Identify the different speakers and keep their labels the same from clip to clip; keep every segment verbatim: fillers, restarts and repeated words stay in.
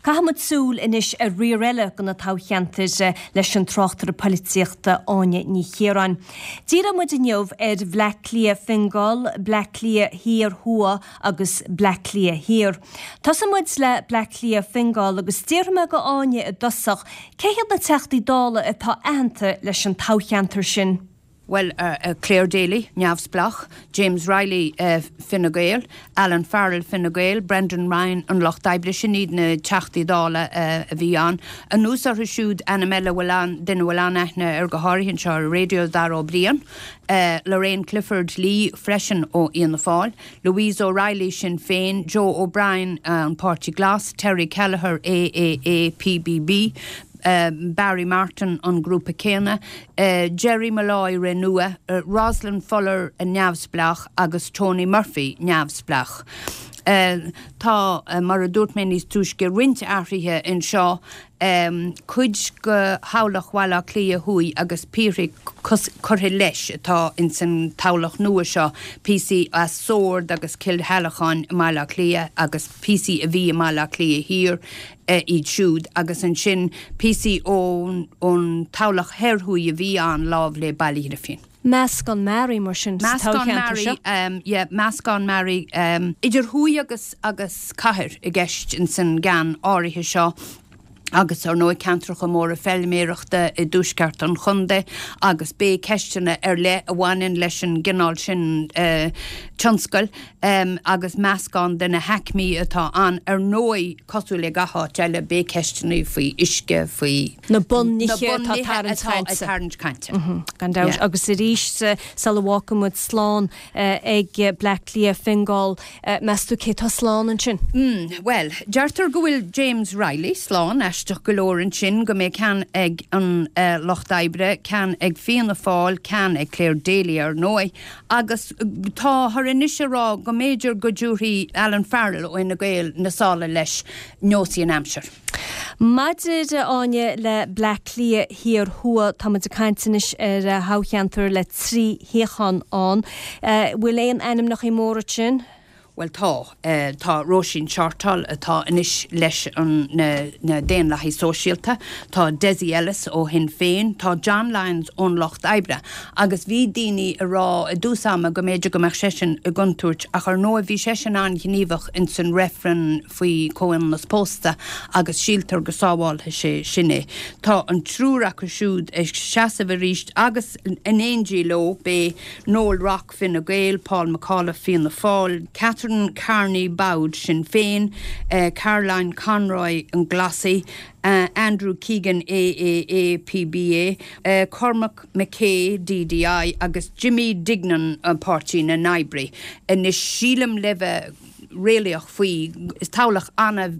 Speaker 1: Caithfimid súil anois ar riar eile de na toghcheantair leis an tráchtaire polaitíochta Áine Ní Chiaráin. Díreoidh muid inniu ar Bhleá Cliath Fingal, Bleá Cliath Thiar Thuaidh agus Bleá Cliath Thiar. Tosóidh muid le Bleá Cliath Fingal agus déarfaidh mé go Áine i dtosach, cé hiad na teachtaí dála atá aitheanta leis an toghcheantar sin.
Speaker 2: Well, uh, uh, Clare Daly, neamhspleách, James Reilly uh, Fine Gael, Alan Farrell Fine Gael, Brendan Ryan an Lucht Oibre sin iad na teachtaí dála uh, a bhí ann. Anuas orthu siúd ainm eile bhfuil an duine bhfuil an-aithne air go háirithe anseo ar raidió Dara Ó Briain, uh, Lorraine Clifford Lee freisin ó Fhianna Fáil, Louise O'Reilly Sinn Féin, Joe O'Brien uh, an Páirtí Glas, Terry Kelleher AAA PBB, uh, Barry Martin an grúpa céanna, uh, Jerry Malloy Renua, uh, Rosalind Fuller a neamhspleách agus Tony Murphy neamhspleách. Uh, tá uh, mar a dúirt mé níos túisce roinnt athruithe anseo um, cuid de thoghlach Bhaile Átha Cliath Thuaidh agus píosaí curtha leis atá in san toghlach nua seo píosaí as Sord agus Cill Shalacháin i mBaile Átha Cliath agus píosaí a bhí i mBaile Átha Cliath Thiar uh, iad siúd agus ansin píosaí ón ón toghlach thoir thuaidh a bhí an lámh le Baile Ghrífín.
Speaker 1: Meascán mearaí mar sin
Speaker 2: Meascán mearaí um, yeah, meascán mearaí um, idir thuaidh agus agus cathair i gceist in san gceann áirithe seo. agus ar ndóigh ceantracha móra feilméarachta i dtuaisceart an chontae agus beidh ceisteanna ar leith a bhaineann leis an gcineál sin uh, tionscail um, agus meascán de na haicmí atá ann ar ndóigh cosúil le gach áit eile beidh ceisteanna faoi uisce faoi
Speaker 1: na bunnithe atá tarraingt
Speaker 2: cainte.
Speaker 1: Gan dabht agus arís sula bhfágfaimid slán ag Bleá Cliath Fingal meas tú cé tá slán ansin?
Speaker 2: Mm, well, deirtear go bhfuil James Reilly slán aisteach go leor ansin go mbeidh ceann ag an uh, Lucht Oibre, ceann ag Fianna Fáil, ceann ag Clare Daly ar ndóigh, agus táthar anois ag rá go mb'fhéidir go dtabharfaidh Alan Farrell ó Fhine Gael na sála leis neosfaidh an aimsir.
Speaker 1: Maidir Áine le Bleá Cliath Thiar Thuaidh tá muid ag caint anois ar thoghcheantar le trí shuíochán ann. Bhfuil aon ainmneacha móra sin?
Speaker 2: Well tá uh, tá Róisín Shortall atá anois leis an na, na Daonlathaithe Sóisialta, tá Dessie Ellis ó Shinn Féin, tá John Lyons ón Lucht Oibre, agus bhí daoine ag rá i dtús ama go mb'fhéidir go mbeadh seisean i gcontúirt ach ar ndóigh bhí seisean an-ghníomhach in san reifreann faoi chomhionannas pósta agus síltear go sábhálfaidh sé sin é. Tá an triúr acu siúd ag seasamh arís agus in éindí leo beidh Noel Rock Fine Gael, Paul McAuliffe Fianna Fáil, Catherine Carney Bowd Sinn Féin, uh, Caroline Conroy an Glasaigh, uh, Andrew Keegan AAA PBA, uh, Cormac McKay DDI agus Jimmy Dignan an Páirtí na nOibrithe. Anois sílim le bheith réalaíoch faoi is toghlach ana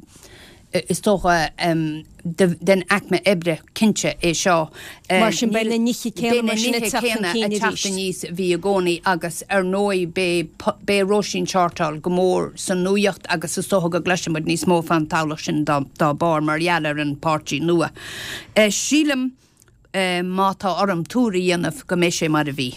Speaker 2: is dócha um, den aicme oibre cinnte é seo.
Speaker 1: Mar sin beidh na nithe céanna mar sin ag teacht
Speaker 2: aníos bhí i gcónaí agus ar ndóigh beidh Róisín Shortall go mór san nuacht agus is dócha go gcloisfimid níos mó fán toghlach sin dá, dá barr mar gheall ar an páirtí nua. Uh, sílim uh, má tá orm tuar a dhéanamh go mbeidh sé mar a bhí.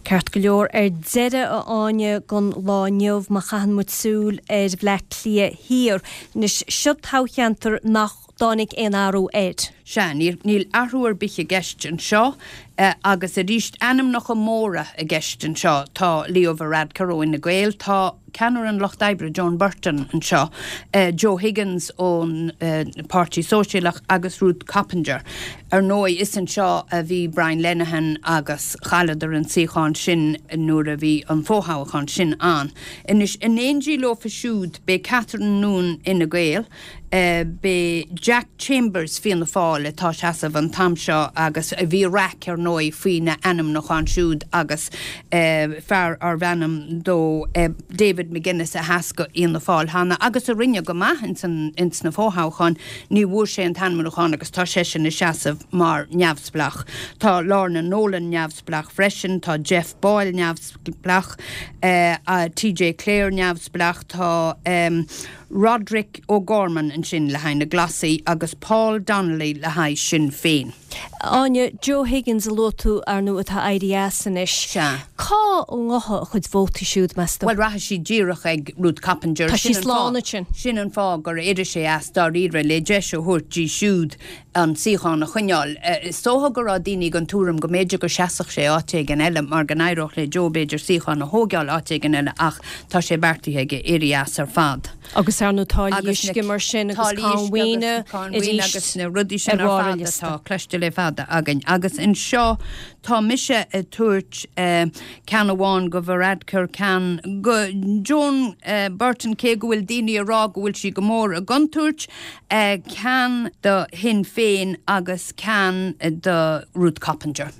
Speaker 1: Ceart go leor ar deireadh a Áine don lá inniu má chaitheann muid súil ar Bhleá Cliath Thiar. Anois seo toghcheantar nach dtáinig aon athrú air.
Speaker 2: Sea níl, níl athrú ar bith i gceist anseo uh, agus arís ainmneacha móra i gceist anseo tá Leo Varadkar ó Fhine Gael, tá ceannaire an Lucht Oibre Joan Burton anseo, uh, Joe Higgins ón uh, Páirtí Sóisialach agus Ruth Coppinger. Ar ndóigh is anseo a bhí Brian Lenihan agus chailleadar an suíochán sin nuair a bhí an fothoghchán sin ann. Anois in éindí leofa siúd beidh Catherine Noone Fhine Gael, uh, beidh Jack Chambers Fianna Fáil atá seasamh an t-am seo agus a bhí raic ar ndóigh faoina ainmniúchán siúd agus uh, fear arbh ainm dó uh, David McGuinness a sheas do Fhianna Fáil cheana agus a rinne go maith ins ins na fothoghcháin ní bhfuair sé an t-ainmniúchán agus tá seisean ag seasamh mar neamhspleách. Tá Lorna Nolan neamhspleách freisin, tá Jeff Boyle neamhspleách, uh, uh, TJ Clare neamhspleách, tá um, Roderick O'Gorman ansin le haghaidh na Glasaigh agus Paul Donnelly le haghaidh Sinn Féin.
Speaker 1: Áine Joe Higgins a luaigh tú ar ndóigh atá éirithe as anois.
Speaker 2: Sea.
Speaker 1: Cá ngabhfaidh a chuid vótaí siúd meas tú?
Speaker 2: Bhuel rachaidh siad díreach ag Ruth Coppinger.
Speaker 1: Tá sí slán ansin.
Speaker 2: Sin an fáth gur éirigh sé as dáiríre le deis a thabhairt di siúd an suíochán a choinneáil. Is dócha go raibh daoine den tuairim go mb'fhéidir go seasfadh sé áit éigin eile mar go n-éireodh le Joe b'fhéidir suíochán a thógáil áit éigin eile ach tá sé beartaithe aige éirí as ar fad.
Speaker 1: Agus ar ndóigh táillí uisce mar sin agus cáin mhaoine
Speaker 2: arís agus na rudaí sin ar fad atá cloiste le fada againn. Agus anseo tá mise ag tabhairt ceann amháin go Varadkar, ceann go Joan Burton cé go bhfuil daoine ag rá go bhfuil sí go mór i gcontúirt, ceann do Shinn Féin agus ceann do Ruth Coppinger.